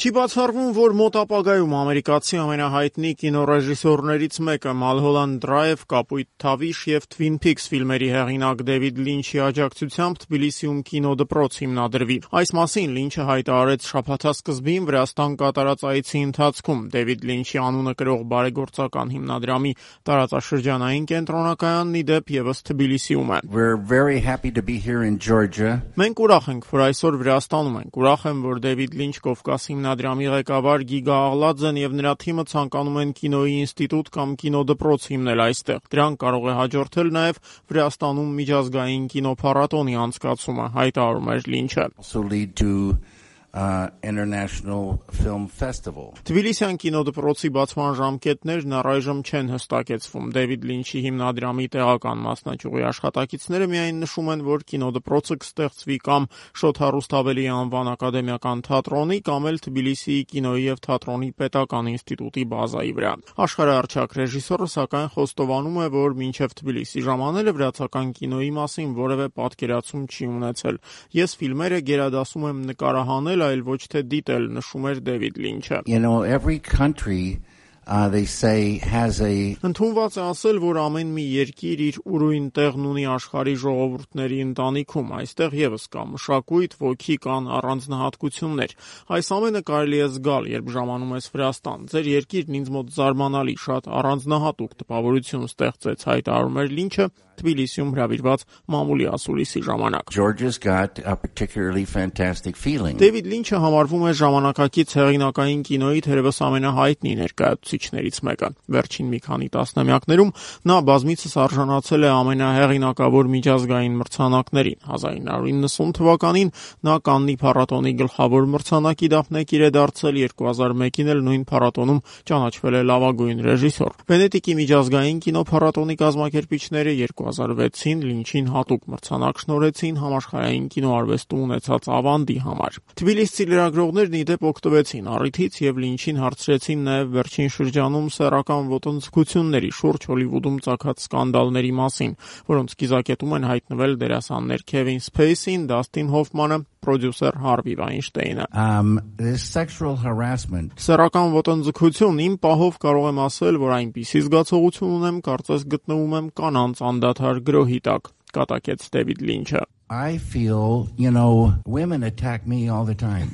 Չի բացառվում, որ մոտ ապագայում ամերիկացի ամենահայտնի կինոռեժիսորներից մեկը Մալհոլանդ Դրայվ, Կապույտ Թավիշ և Թվին Փիքս ֆիլմերի հեղինակ Դեվիդ Լինչի աջակցությամբ Թբիլիսիում կինոդպրոց հիմնադրվի։ Այս մասին Լինչը հայտարարեց շաբաթասկզբին Վրաստան կատարած այցի ընթացքում։ Դեվիդ Լինչի անունը կրող բարեգործական հիմնադրամի տարածաշրջանային կենտրոնակայանն ի դեպ ևս Թբիլիսիում է։ Մենք ուրախ ենք, որ այսօր Վրաստանում ենք։ Ուրախ եմ, որ Դեվիդ Լինչ Կովկաս հիմնադրամի ղեկավար Գիգա Աղլաձեն եւ նրա թիմը ցանկանում են կինոյի ինստիտուտ կամ կինոդպրոց հիմնել այստեղ։ Դրան կարող է հաջորդել նաեւ Վրաստանում միջազգային կինոփառատոնի անցկացումը, հայտարարում էր Լինչը։ International Film Festival. Թբիլիսյան կինոդպրոցի բացման ժամկետներն առայժմ չեն հստակեցվում։ Դեվիդ Լինչի հիմնադրամի տեղական մասնաճյուղի աշխատակիցները միայն նշում են, որ կինոդպրոցը կստեղծվի կամ Շոթ Հարուսթավելի անվան ակադեմիական թատրոնի, կամ էլ Թբիլիսիի կինոյի եւ թատրոնի պետական ինստիտուտի բազայի վրա։ Աշխարհահռչակ ռեժիսորը սակայն խոստովանում է, որ մինչև Թբիլիսի ժամանելը վրացական կինոյի մասին որևէ պատկերացում չի ունեցել։ Ես ֆիլմերը գերադասում եմ նկարահանել, այլ ոչ թե դիտել, նշում էր Դեվիդ Լինչը։ Every country they say has a Ընդունված է ասել, որ ամեն մի երկիր իր ուրույն տեղն ունի աշխարհի ժողովուրդների ընտանիքում։ Այստեղ եւս կա մշակույթ, ոգի, կան առանձնահատկություններ։ Այս ամենը կարելի է զգալ, երբ ժամանում ես Վրաստան։ Ձեր երկիրն ինձ մոտ զարմանալի, շատ առանձնահատուկ տպավորություն ստեղծեց, հայտարարում էր Լինչը Թբիլիսիում հրավիրված մամուլի ասուլիսի ժամանակ։ Georgia's got a particularly fantastic feeling. Դեվիդ Լինչը համարվում է ժամանակակից հեղինակային կինոյի թերևս ամենահայտնի ներկայացուցիչներից մեկը։ Վերջին մի քանի տասնամյակներում նա բազմիցս արժանացել է ամենահեղինակավոր միջազգային մրցանակներին։ 1990 թվականին նա Կաննի փառատոնի գլխավոր մրցանակի դափնեկիր է դարձել, 2001-ին էլ նույն փառատոնում ճանաչվել է լավագույն ռեժիսոր։ Վենետիկի միջազգային կինոփառատոնի կազմակերպիչները 2006-ին Լինչին հատուկ մրցանակ շնորհեցին համաշխարհային կինոարվեստում ունեցած ավանդի համար։ Թբիլիսցի լրագրողներն ի դեպ օգտվեցին առիթից եւ Լինչին հարցրեցին նաեւ վերջին շրջանում սեռական ոտնձգությունների շուրջ Հոլիվուդում ծագած սկանդալների մասին, որոնց կիզակետում են հայտնվել դերասաններ Քևին Սփեյսին, Դասթին Հոֆմանը, պրոդյուսեր Հարվի Վայնշտեյնը։ Sexual harassment. Սեռական ոտնձգություն, իմ պահով կարող եմ ասել, որ այնպիսի զգացողություն ունեմ, կարծես գտնվում եմ կանանց անդադար գրոհի տակ, կատակեց Դեվիդ Լինչը։ I feel, women attack me all the time.